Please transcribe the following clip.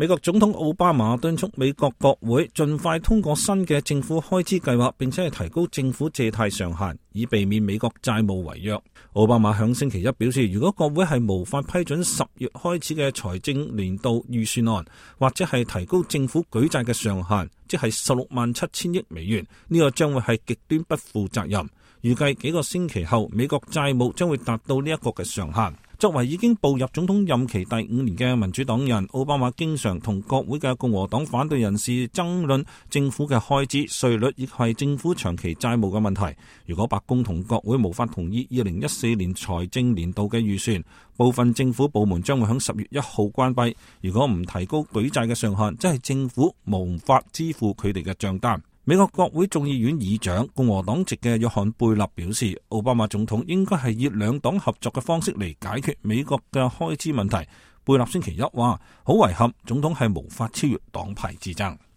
美國總統奧巴馬敦促美國國會盡快通過新嘅政府開支計劃，並且係提高政府借貸上限，以避免美國債務違約。奧巴馬響星期一表示，如果國會係無法批准10月開始嘅財政年度預算案，或者係提高政府舉債嘅上限，即係167000億美元，呢個將會係極端不負責任。預計幾個星期後，美國債務將會達到呢一個嘅上限。作為已經步入總統任期第5年嘅民主黨人，奧巴馬經常同國會嘅共和黨反對人士爭論政府嘅開支、稅率以及係政府長期債務嘅問題。如果白宮同國會無法同意2014年財政年度嘅預算，部分政府部門將會喺10月1號關閉。如果唔提高舉債嘅上限，即係政府無法支付佢哋嘅賬單。美國國會眾議院議長共和黨籍嘅約翰貝納表示，奧巴馬總統應該係以兩黨合作嘅方式嚟解決美國嘅開支問題。貝納星期一話，好遺憾，總統係無法超越黨派之爭。